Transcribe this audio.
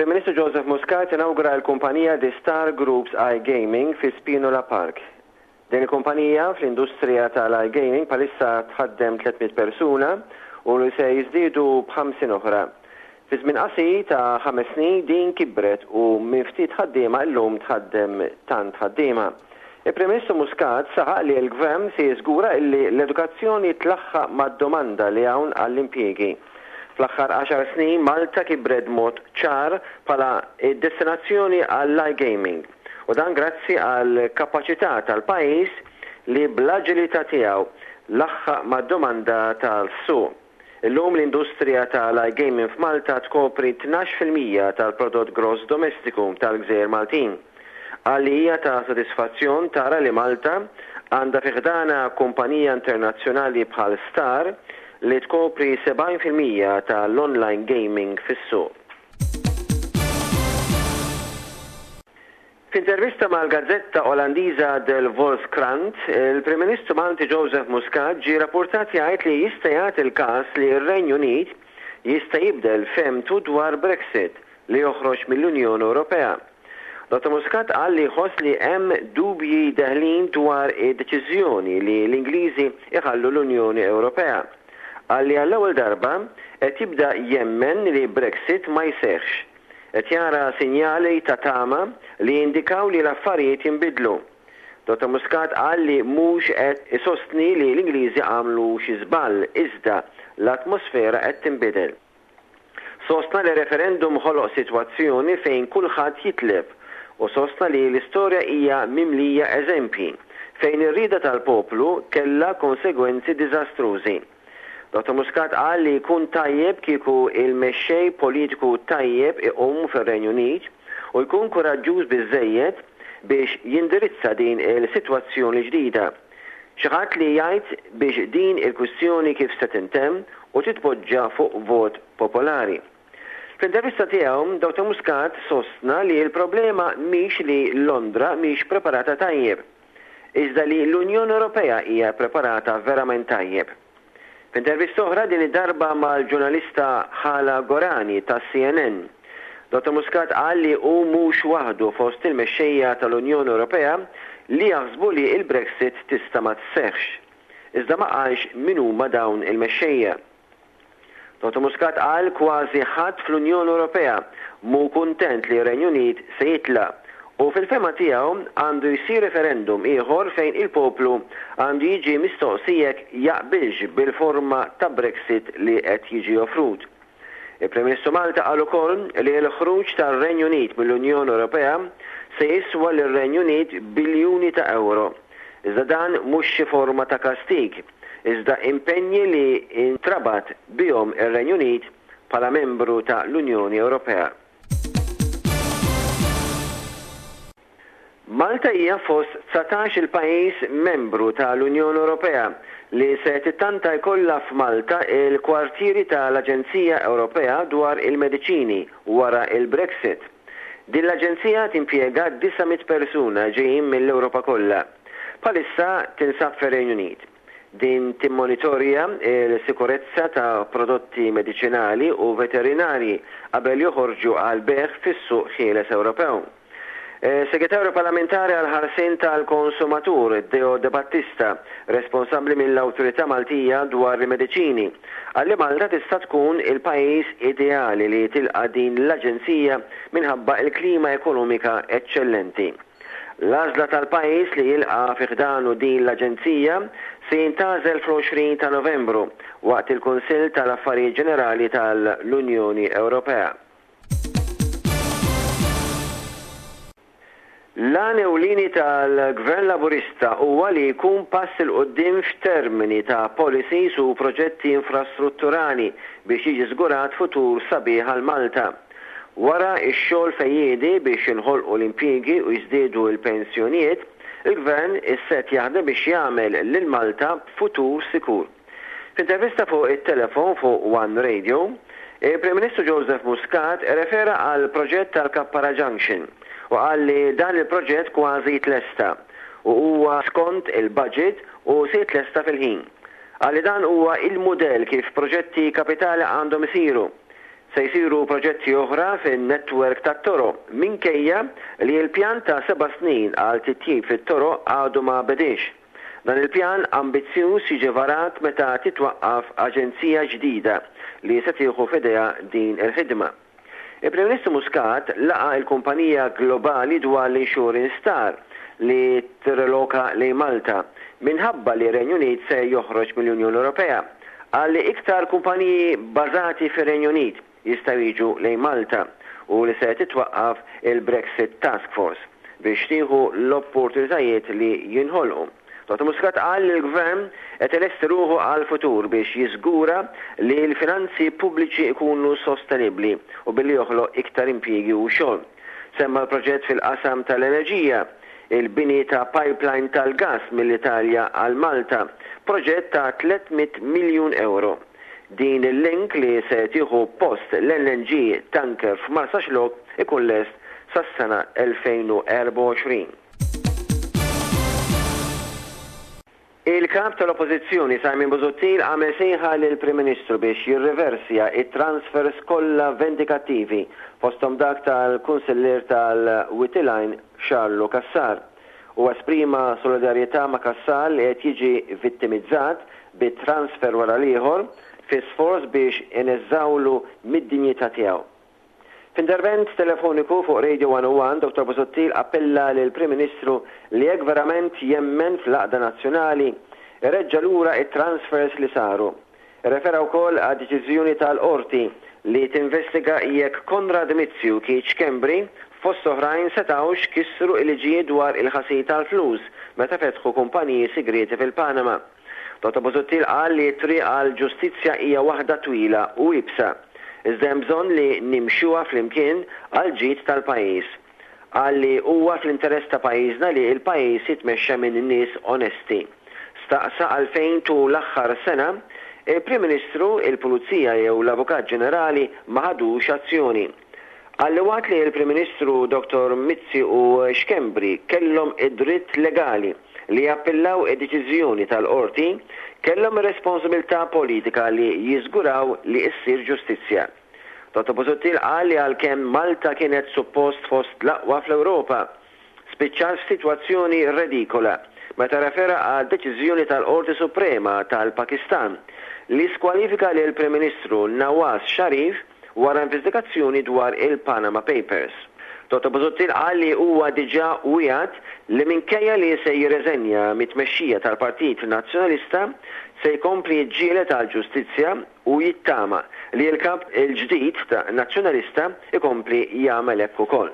Il-Prim Ministru Joseph Muscat inawgura l-kumpanija The Star Groups iGaming fi Spinola Park. Din il-kumpanija fl-industrija tal-iGaming bħalissa tħaddem 300 persuna u li se jiżdiedu b'50 oħra. Fi żmien qasir ta' ħames snin din kibret u minn ftit ħaddiema illum tħaddem tant ħaddiema. Il-Prim Ministru Muscat saħaq li l-Gvern se jiżgura illi l-edukazzjoni tlaħħaq mad-domanda li hawn għall-impjiegi. Fl-aħħar għaxar snin Malta kibret b'mod ċar bħala d-destinazzjoni għall-iGaming u dan grazzi għall-kapaċità tal-pajjiż li bl-aġilità tiegħu laħħaq mad-domanda tas-suq. Illum l-industrija tal-iGaming f'Malta tkopri 12% tal-prodott gross domestiku tal-gżejjer Maltin. Qal li hija ta' sodisfazzjon tara li Malta għandha fi ħdanha kumpanija internazzjonali bħal Star li tkopri 70% tal-online gaming fis-suq. F'intervista mal-gazzetta Olandiża De Volkskrant, il-Prim Ministru Malti Joseph Muscat ġie rappurtat jgħid li jista' jagħti l-każ li r-Renju Unit jista' jibdel fehmtu dwar Brexit, li joħroġ mill-Unjoni Ewropea. Dottor Muscat qal li jħoss li hemm dubji deħlin dwar id-deċiżjoni li l-Ingliżi jħallu l-Unjoni Ewropea. Qal li għall-ewwel darba qed jibda jemmen li Brexit ma jseħħx. Qed jara sinjali ta' tama li jindikaw li l-affarijiet jinbidlu. Dottor Muscat qal li mhux qed isostni li l-Ingliżi għamlu xi żball iżda l-atmosfera qed tinbidel. Sostna li referendum ħoloq sitwazzjoni fejn kulħadd jitlef u sostna li l-istorja hija mimlija eżempji fejn ir-rieda tal-poplu kellha konsegwenzi diżastrużi. Dottor Muscat qal li jkun tajjeb kieku il-mexxej politiku tajjeb iqum fir-Renju Unit u jkun kuraġġuż biżżejjed biex jindirizza din il-sitwazzjoni ġdida. Xi ħadd li jgħid biex din il-kwistjoni kif se tintemm u titpoġġa fuq vot popolari. Fl-intervista tiegħu, Dottor Muscat sostna li l-problema mhix li Londra mhix preparata tajjeb, iżda li l-Unjoni Ewropea hija preparata verament tajjeb. F'intervista oħra din id-darba mal-ġurnalista Hala Gorani tas-CNN, Dottor Muscat qal li hu mhux waħdu fost il-mexxejja tal-Unjoni Ewropea li jaħsbu li l-Brexit tista' ma sseħħx. Iżda ma qalx min huma dawn il-mexxejja. Dottor Muscat qal kważi ħadd fl-Unjoni Ewropea mhu kuntent li r-Renju Unit se jitlaq u fil-fehma tiegħu għandu jsir referendum ieħor fejn il-poplu għandu jiġi mistoqsi jekk jaqbilx bil-forma ta' Brexit li qed jiġi offrut. Il-Prim Ministru Malta qal ukoll li l-ħruġ tar-Renju Unit mill-Unjoni Ewropea se jiswa lir-Renju Unit biljuni ta' ewro. Iżda dan mhux xi forma ta' kastig, iżda impenji li ntrabat bihom ir-Renju Unit bħala membru ta' l-Unjoni Ewropea. Malta hija fost 19-il pajjiż membru ta' l-Unjoni Ewropea li se tittanta jkollha f'Malta il-kwartieri ta' l-Aġenzija Ewropea dwar il-Mediċini wara l-Brexit. Din l-aġenzija timpjega 900 persuna ġejjin mill-Ewropa kollha. Bħalissa tinsab fir-Renju Unit. Din timmonitorja l-sikurezza ta' prodotti mediċinali u veterinarji qabel joħorġu għall-bejgħ fis-suq ħieles Ewropew. Segretarju Parlamentari għall-Ħarsien tal-Konsumatur, Deo Debattista, responsabbli mill-Awtorità Maltija dwar il-Mediċini, qal li Malta tista' tkun il-pajjiż ideali li tilqa' din l-aġenzija minħabba l-klima ekonomika eċċellenti. L-għażla tal-pajjiż li jilqa' fi ħdanu din l-aġenzija se jintgħażel fl-20 ta' Novembru waqt il-Kunsill tal-Affarijiet Ġenerali tal-Unjoni Ewropea. L-għan ewlieni tal-Gvern Laburista huwa li jkun pass 'il quddiem f'termini ta' policies u proġetti infrastrutturali biex jiġi żgurat futur sabiħ għal Malta. Wara x-xogħol fejjiedi biex jinħolqu l-impjiegi u jiżdiedu l-pensjonijiet, il-Gvern issa qed jaħdem biex jagħmel lil Malta b'futur sikur. F'intervista fuq it-telefon fuq One Radio, il-Prim Ministru Joseph Muscat irrefera għall-proġett tal-Kappara Junction u qal li dan il-proġett kważi tlesta u huwa skont il-budget u se jitlesta fil-ħin. Qal li dan huwa il-mudell kif proġetti kapitali għandhom isiru. Se jsiru proġetti oħra fin-netwerk tat-toroq minkejja li l-pjan ta' seba' snin għal titjib fit-toroq għadu ma bediex. Dan il-pjan ambizzjuż jiġi varat meta titwaqqaf aġenzija ġdida li se tieħu f'idejha din il-ħidma. Il-Prim Ministru Muscat laqa' l-kumpanija globali dwar l-insurance Star li tirreloka lejn Malta minħabba li r-Renju Unit se joħroġ mill-Unjoni Ewropea. Qal li iktar kumpaniji bbażati fir-Renju Unit jistgħu jiġu lejn Malta u li se titwaqqaf il-Brexit Task Force biex tieħu l-opportunitajiet li jinħolqu. Dottor Muscat qal li l-Gvern qed ilesti ruħu għall-futur biex jiżgura li l-finanzi pubbliċi jkunu sostenibbli u billi joħloq iktar impjiegi u xogħol. Semma l-proġett fil-qasam tal-enerġija, il-bini ta' pipeline tal-gass mill-Italja għal Malta, proġett ta' 300 miljun ewro. Din il-link li se tieħu post l-LNG tanker f'Marsaxlokk ikun lest sas-sena 2024. Il-Kap tal-Oppożizzjoni Simon Busuttil għamel sejħa lill-Prim Ministru biex jirriversja t-transfers kollha vendikattivi, fosthom dak tal-Kunsillier tal-Wied il-Għajn Charlo Cassar. Huwa esprima solidarjetà ma' Cassar li qed jiġi vittimizzat bi transfer wara l-ieħor fi sforz biex ineżżgħulu mid-dinjità tiegħu. F'intervent telefoniku fuq Radio 101, Dottor Busuttil appella lill-Prim Ministru li jekk verament jemmen fl-għaqda nazzjonali, ireġġa' lura t-transfers li saru. Irrefera wkoll għad-deċiżjoni tal-Qorti li tinvestiga jekk Konrad Mizzi u Keith Schembri fost oħrajn setgħux kisru l-liġijiet dwar il-ħasil tal-flus meta fetħu kumpaniji sigrieti fil-Panama. Dottor Busuttil qal li t-triq għall-ġustizzja hija waħda twila u iebsa, iżda hemm bżonn li nimxuha flimkien għall-ġid tal-pajjiż. Qal li huwa fl-interess ta' pajjiżna li l-pajjiż jitmexxa minn nies onesti. Staqsa għalfejn tul l-aħħar sena, il-Prim Ministru, il-Pulizija jew l-Avukat Ġenerali ma ħadux azzjoni. Qal li waqt li l-Prim Ministru Dottor Mizzi u Schembri kellhom id-dritt legali li jappillaw id-deċiżjoni tal-Qorti, kellhom ir-responsabilità politika li jiżguraw li ssir ġustizzja. Dottor Busuttil qal li għalkemm Malta kienet suppost fost l-aqwa fl-Ewropa, spiċċat f'sitwazzjoni redikola meta rrefera għad-deċiżjoni tal-Qorti Suprema tal-Pakistan li skwalifika lill-Prim Ministru Nawaz Sharif wara investigazzjoni dwar il-Panama Papers. Dottor Busuttil qal li huwa diġà wiegħed li minkejja li se jirreżenja mit-tmexxija tal-Partit Nazzjonalista, se jkompli jiġġieled għall-ġustizzja u jittama li l-Kap il-ġdid Nazzjonalista jkompli jagħmel hekk ukoll.